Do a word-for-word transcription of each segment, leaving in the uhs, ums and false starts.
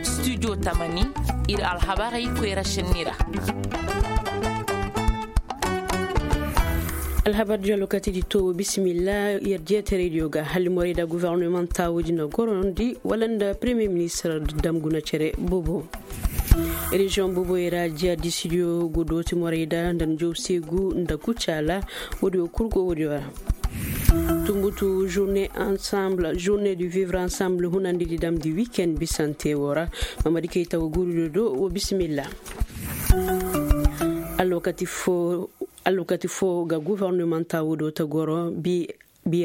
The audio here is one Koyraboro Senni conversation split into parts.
Studio tamani, ir alhabarey koyra šenni ra. Alhabar diyo alwakati di to wo bisimilla. Yer diyaterey diyo ga halli morey da guverneman taawo di na gorondi wala nda premier ministre dam guna cere boobo. Reziyoŋ booboyey ra jiya disidiyo go dooti morey da nda njow seegu nda kucaala. Woodiyo kul go woodiyo ra. Tumbutu journée ensemble, journée du vivre ensemble hunandi di damndi weekend bisante wo ra. Mamadi kay tawo guurudo do wo bisimilla. Alwakati foo ga guverneman taawo do ta goro bi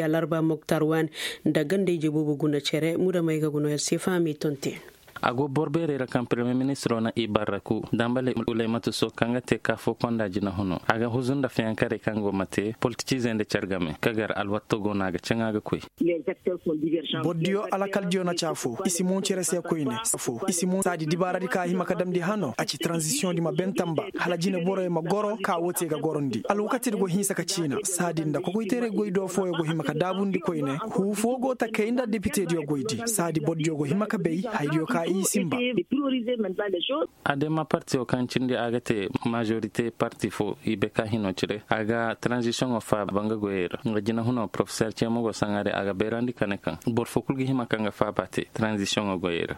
alarba moktar waani nda ganda ije boobo guna cere muda may ga guna se fahamey tonte. A go boro beerey ra kaŋ premier ministiro na i barraku dambale ulaymatu so kaŋ ga te kaafo konda jinahuno a ga huzu nda fiyankarey kaŋ go ma te politiciizey nda car game ka gar alwatto go no a ga caŋa ga koy. Bordiyo alakaldiyo na caafo i si mo cere se koyne. Saadi dibaaradi ka a hima ka damndi hano a ci tranzisiyoŋ di ma ben tamba hala jine borey ma goro ka woo te ga gorondi alwakatidi go hinsa ka ciina saadi nda kokoyteeray goy do fooyo go hima ka daabundi koyne. Huu foo go ta kay nda depitediyo goydi saadi bordiyo go hima ka bay haydiyo ka i simba. Adema partiyo kaŋ cindi a ga te majorite parti fo i bay ka hino cire a ga tranzisiyoŋo faaba nga goyey ra nga jinahuno porofeser ceemo go saŋari a ga bayrandi ka ne kaŋ boro fo kul ga hima kaŋ ga faaba te tranzisiyoŋo goyey ra.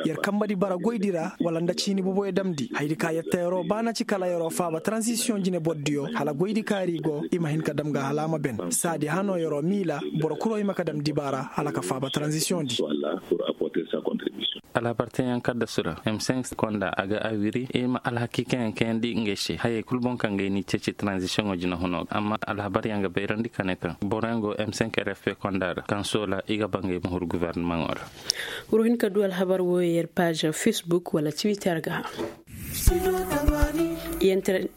Yer kambadi bara goydi ra wala nda ciini boboyo damndi haydi ka yer ta yeroo ba na ci kala yeroo faaba tranzisiyoŋ jine bordiyo hala goydi kaari go i ma hin ka dam ga hala a ma ben saadi hano yeroo miila boro kuro i ma ka dam dibaara hala ka faaba tranzisiyoŋ di. Alhabar teeyaŋ kaddasu ra m cinq konda a ga awiri i ma alhakiikayaŋ kayandi ngey se hayey kul boŋ kaŋ ga ay n'i ceeci tranzisiyoŋo jinahuno ga amma alhabaryaŋ ga bayrandi ka ne kaŋ boroyaŋ go m cinq rfp konda ra kaŋ soola i ga ba ngey ma huru guvernimaŋo ra. Wuro hin ka du alhabar wooyo yer paaza facebook wala twitter ga.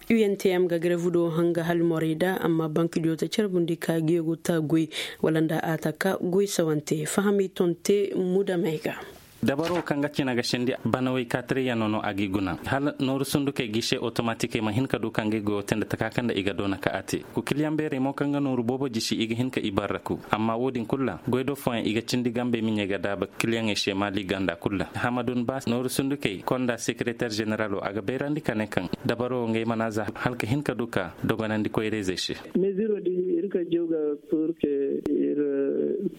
Iyenteyam ga garevu do hanga halmorey da amma bankidiyo ta carbundi ka geegu ta goy wala nda a ta ka goy sawante fahamey tonte mudamey ga. Dabaro kaŋ ga cina ga sindi banawey kaatirayyano no a g'i guna hala nooru sundukey g'i se otomatikey ma hin ka du kaŋ ga i goyo te nda taka kaŋ nda i ga doona ka a te. Ku kiliyaŋ beerey mo kaŋ ga nooru boobo jisi i ga hin ka i barraku amma wo-din kul ra goy do fooyaŋ i ga cindi gambey miɲey ga daaba kiliyaŋey se maali ganda kul ra hamadun ba nooru sundukey konda sekereter ženeralo a ga bayrandi ka ne kaŋ dabaro wo ngey mana za hala ka hin ka du ka dogonandi koyra-izey se. Meziro di ir ka jaw ga pur ke ir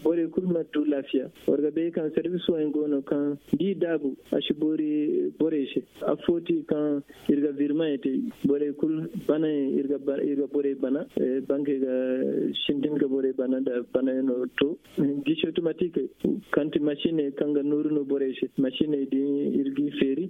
borey kul ma du laafiya. War ga bay kaŋ servis fooyaŋ go no kaŋ da i daabu a si boori borey se. Affoo ti kaŋ ir ga virmaŋey te borey kul banayaŋ ir ga borey bana. Bankey ga sintin ga borey bana nda banayaŋo to. Gisi otomatik kaŋ ti masiney kaŋ ga nooru no borey se masiney din ir g'i feeri.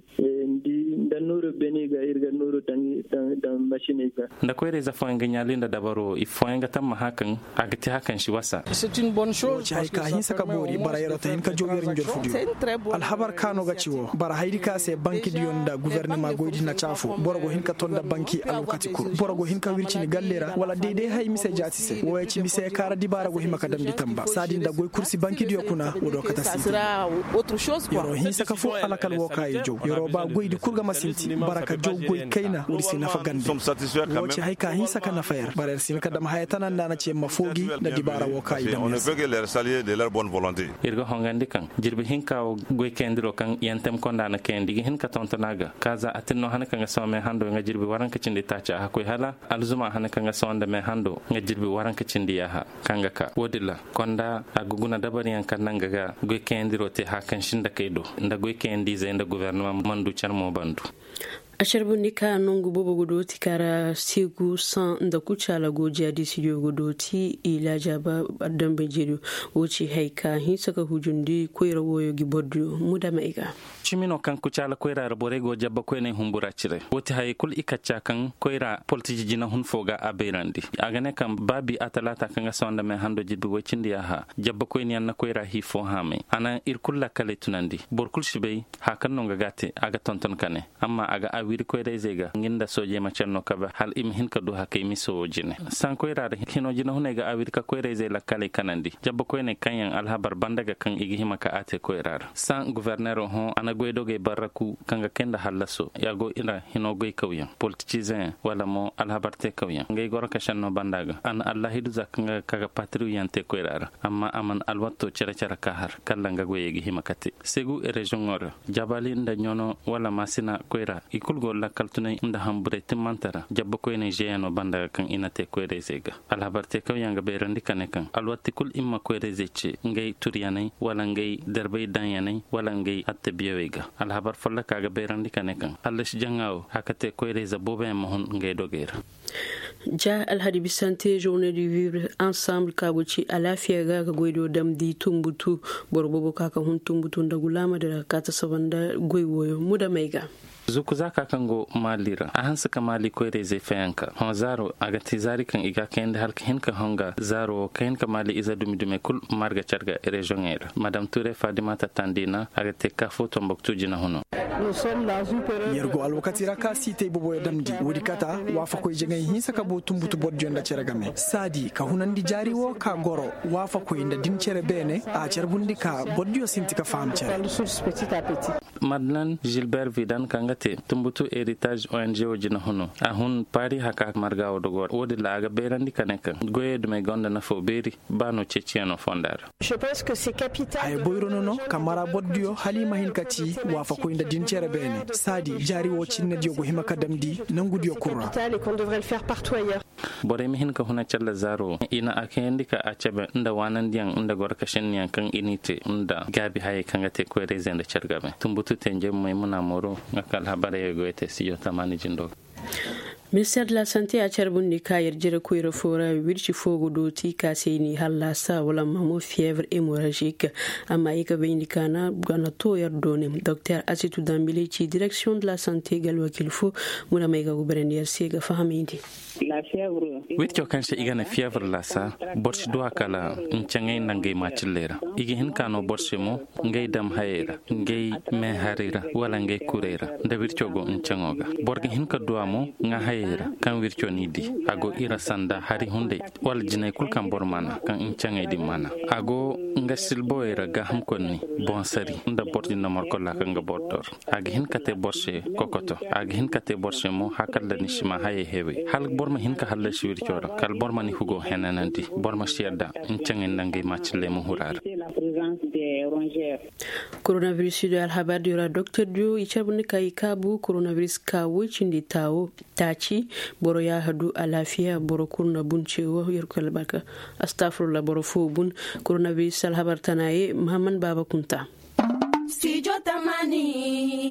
Nda nooro beni ga ir ga nooro daŋ masiney ga. Nda koyra-ize fooyaŋ ga ɲaali nda dabaro wo i fooyaŋ ga tamma hã kaŋ a ga te hã kaŋ si wasa. Wo ci hay ka hinsa ka boori bara yer'o ta hin ka jaw yer njorfudiyo. Alhabar ka no ga ci wo bara haydi ka se bankidiyo nda guvernema goydi na caafo boro go hin ka ton nda banki alwakati kul boro go hin ka wircini galle ra wala dayday hay mise jaati se wo ya ci mise kaara dibaara go hima ka damndi tamba saadi nda goy kul si bankidiyo kuna wo do kate si. Yer'o hinsa ka foo alakal wo ka i jaw yer'o ba goydi kul ga ma sinti bara ka jaw goy kayna woodi si nafa gande. Wo ci hay ka hinsa ka nafa yer bara yer si hin ka dam haya tana nda a na ci yer ma foogi nda dibaara wo ka i dam yer se. Ir ga hongandi kaŋ jirbi hinka wo goy kayandiro kaŋ yantem konda na kayandi ga hin ka tonton a ga ka za a tin no hane kaŋ ga soma me hando nga jirbi waranka cindi taaci a ga koy hala alzuma hane kaŋ ga soma nda me hando nga jirbi waranka cindi yaaha kaŋ ga ka wo-din ra konda a ga guna dabaryaŋ kaŋ naŋ ga ga goy kayandiro te hã kaŋ sinda kay do nda goy kayandi-izey nda guvernama mana du care mo bandu. A carbundi ka nongu boobo ga dooti ka ra seegu saŋ nda kucaala go jiya di studio ga dooti i laajaaba. Dambe jeriyo wo ci hay ka hinsa ka hujundi koyra wooyo gi bordiyo mudamey ga. Cimi no kaŋ kucaala koyra ra borey go jabba koyney humbura cire wo ti hayey kul i kacca kaŋ koyra politiji jinahun fo ga a bayrandi. A ga ne kaŋ ba bi a talaata kaŋ ga sawa nda me hando jirbi woy cindi yaaha jabba koyniyaŋ na koyra hii fo haamay a na ir kul lakkaley tunandi boro kul si bay haya kaŋ no nga ga a te a ga tonton ka ne amma a ga Wiri koyra-izey ga nga nda soojey ma care no kabe hala i ma hin ka du hakay miso wo jine. Sankoyra ra hino jinahuney ga a wiri ka koyra-izey lakkaley kanandi jabba koyney kaŋ yaŋ alhabar banda ga kaŋ i ga hima ka a te koyra ra san goforneero hõ a na goydogey barraku kaŋ ga kay nda hallaso ya go i ra hino goykawyaŋ politicizeyaŋ wala mo alhabar teekawyaŋ ngey goro ka senno banda ga a na allahidu za kaŋ ga ka ga patiriwyaŋ te koyra ra. Amma a mana alwatto cere-cere ka har kalla nga goyey ga hima ka te segu reziyoŋo ra jabali nda ɲono wala maasina koyra i kulu go lakkal tunay nda hamburey timmante ra jabba koyney zeeyano banda ga kaŋ i na te koyra-izey ga. Alhabar teekawyaŋ ga bayrandi ka ne kaŋ alwatti kulu i ma koyra-izey ce ngey turyaney wala ngey darbay daŋyaney wala ngey attabiyawey ga. Alhabar folloka ga bayrandi ka ne kaŋ hallasi jaŋa wo a ka te koyra-ize booboyaŋ ma hun ngey dogey ra. Ja alhadi bisante journée du vivre ensemble ka go ci alaafiya ga ga goydo damndi tumbutu boro boobo ka ka hun tumbutu nda gulaama dira ka ka ta saba nda goy wooyo mudamey ga. Zuku zaaka kaŋ go maali ra a hanse ka maali koyra-izey fayanka hõ zaaro a ga te zaari kaŋ i ga a kayandi hala ka hin ka honga zaaro wo ka hin ka maali ize dumi-dumey kul marga care ga reziyoŋey ra madam ture fadima tattandi na a ga te ka fo tomboktu jinahuno. Yer go alwakati ra ka siitay boboyo damndi woodi kata waafakoy jaŋay hinsa ka boo tumbutu bordiyo nda cere game saadi ka hunandi jaari wo ka goro waafakoy nda din cere beene a carbundi ka bordiyo sinti ka faham cere. Madeleine gilbert vidan kaŋ ga te tumbutu heritage ong wo jinahuno a hun paari haka marga wo dogo ra woodin ra a ga bayrandi ka ne kaŋ goyey dumey gonda nafo beeri ba no ceeciyaŋo fonda ra. Haya boyro no no ka mara bordiyo hala i ma hin ka ci waafakoy nda din cere beene saadi jaari wo cinnediyo go hima ka damndi nangudiyo kul ra. Borey ma hin ka huna calla zaaro i na a kayandi ka a cabe nda waanandiyaŋ nda goro ka senniyaŋ kaŋ i n'i te nda gaabi hayey kaŋ ga te koyra-izey nda care game tumbutu te njay maymuna mooro nga ka alhabarey go ay te studio tamaani jindo ga. Minister de la sante a carbundi ka yer jere koyra fo ra wirci fo ga dooti ka se i n'i hallasa wala ma mo fievre hémorragique. Amma i ga bayndi ka na gana to yer doone doktor asitu dambile ci direction de la sante ga alwakil fo. Muna may ga gubarandi yer se ga fahamayndi. Wirco kaŋ se i ga ne fievre lasa boro si du a kala ncaŋey nda ngey maacilley ra. I ga hin ka no boro se mo ngey dam hayey ra ngey meeharey ra wala ngey kurey ra nda wirco go ncaŋo ga. Boro ga hin ka du a mo ŋaa hayey ra kaŋ wirco n'i di a go i ra sanda hari hunday wala jinay kulu kaŋ boro mana kaŋ ncaŋey din mana. A go nga silbowey ra gaaham konni boŋ sari nda boro din na morkolla kaŋ ga boro dor. A ga hin ka te boro se kokoto a ga hin ka te boro se mo hakalla ni si ma hayey hewey hala boro ma hin ka hallasi wirco ra kala boro ma ni hugo henanandi boro ma si yadda ncaŋey nda ngey maacilley ma huru a ra. Koronabiris do alhabar diyo ra doktor diyo i carbundi ka i kaabu koronabiris ka woy cindi taawo taaci. Boro yaaha du alaafiya boro kul na bun ce wo yerkoy albarka. Astafurullah boro fo bun. Koronabiris alhabar tana ye mahaman baaba kunta.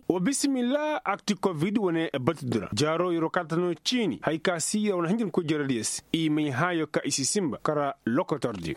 Wa bisimilla akti kovid wane batudi ra jaaro yeroo kaŋ ta no ciini hari ka si yer wane hanjin koy jaradiyo se i may hãayo ka i si sinba kara lokotordiyo.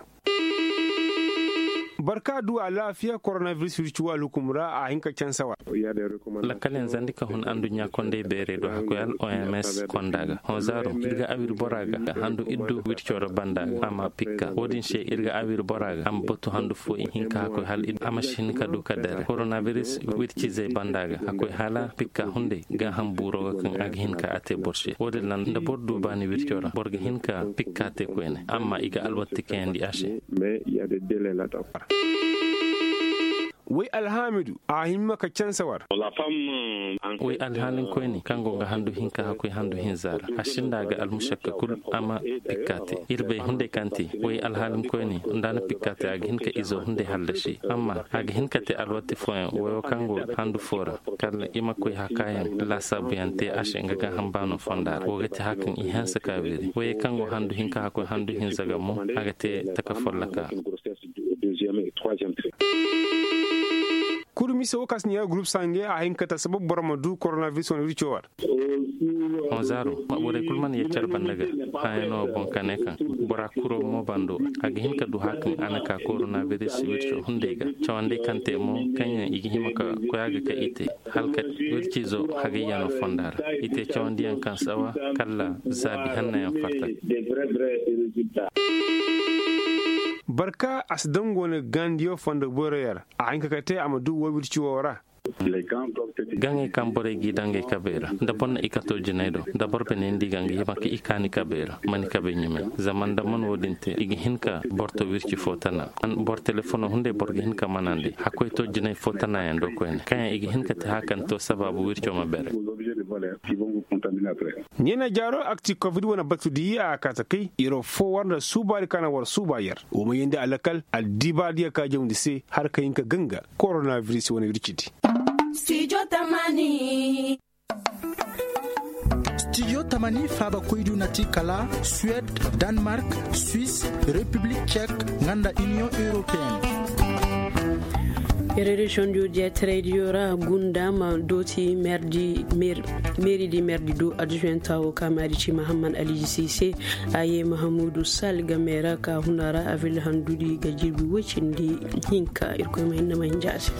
Boro ka du alaafiya koronabiris wirci wa alhukum ra a hin ka canse war. Lakkaleŋ zandi ka hun adduɲɲa kondey beerey do hakkoy hala oms konda ga hõ zaaro ir ga awir bora ga handu iddu wirco ra banda ga a ma pikka wo-din se ir ga awir bora ga a ma batu handu fo i hin ka hakkoy hala a ma si hin ka du ka dare koronabiris wircizey banda ga hakkoy hala pikka hunday gaaham buuro ga kaŋ a ga hin ka a te boro se wo-din ra nda boro du baani wirco ra boro ga hin ka pikka te koyne amma i ga alwatti kayandi a se. Way alhaamidu a hima ka canse war. Way alhaalinkoyne kaŋ go ga handu hinka hakkoy handu hinza ra a sinda ga almušakka kul a ma pikka te. Ir bay hunday kaŋ te way alhaalinkoyne nda a na pikka te a ga hin ka izo hunday hallasi amma a ga hin ka te alwatti fooyaŋ wayo kaŋ go handu foo ra kala i ma koy hakaayaŋ laasaabuyaŋ te a se nga gaaham baano fonda ra wo ga te hakaŋ i hanse ka wiri wayey kaŋ go handu hinka hakkoy handu hinza ga mo a ga te taka folloka. Kuru mise wo kaŋ si neera gurup sange a hin ka ta sabab boro ma du koronabiris wane wirco war. Honzaaro borey kulu mana yaccar banda ga hãyano boŋ ka ne kaŋ bora kuro mo bando a ga hin ka du hakaŋ a na ka koronabiris wirco hunday ga cawandi kaŋ te mo kaŋ yaŋ i ga hima ka koy a ga ka i te hala ka wircizo hagayyano fonda ra i te cawandiyaŋ kaŋ sawa kala zaabi hannayaŋ fatta. Barka a si dango ne gandiyo fondo boyroyar a hinka ka te a ma du wo wirci wo ra. Gaŋey kaŋ borey g'i daŋ ngey kabey ra nda boro na i kato jinay do nda boro bine nda i ga nga hima ka i kaani kabey ra, mani kabey ɲumay. Zama nda man wo-din te i ga hin ka boro to wirci fo tana. Boro telefono hunday boro ga hin ka manandi hakkoy to jinay fo tanayaŋ do koyne kaŋ yaŋ i ga hin ka te haka ni to sabaabu wirco ma bere. Ɲeena jaaro akti covid wane batu diya a kaata kay yer fo war nda suubaari ka na war suuba yer. Wo ma yeendi alakal addibaadiya ka jawndi se har ka hin ka ganga koronabiris wane wirci di. Stijo tamani faaba koydu na ti kala suwed, danmark, swis, repiblik cek, nga nda iniyoŋ europeen. Yer reziyoŋ diyo diya terey diyo ra gunda ma dooti meeri di meeri di do adjuwenta wo ka maadi ci mahamman aliji sise. A ye mahamudu sal game ra ka huna ra a vil handudi ga jirbi woy cindi hinka irkoy ma hinna ma hinja a se.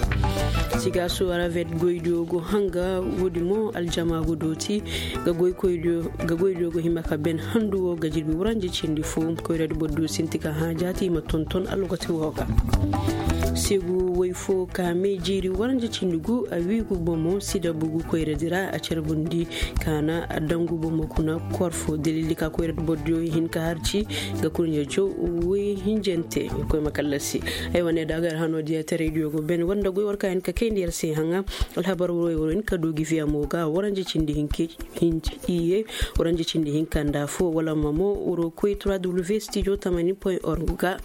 Siga suwara vet goydiyo go hanga woodi mo aljama go dooti ga goydiyo go hima ka ben handu wo ga jirbi wuranje cindi fo koyradi boro diyo sinti ka hã jaati i ma tonton alwakati wo ga. Segu woy fo ka mee jiiri waranja cindi gu a wiigu bomo sida bugu koyradi ra a carbundi ka na a dangu bomo kuna kor fo dalili ka koyradi bordiyo hin ka harci ga kurɲe jow woy hinjante. Koy ma kallasi ay wane da gar hano diya taray diyo go ben wanda goy war ka hin ka kayndi yar se haŋa. Alhabar wuro wuro hin ka dugi fiya mo ga waranja cindi hinke hinci iye. Wuro nje cindi hinka nda fo wala mamo wuro koy trois w studio tamani point org ga.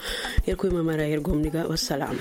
Yer koy mamara yer gomni ga wassalam.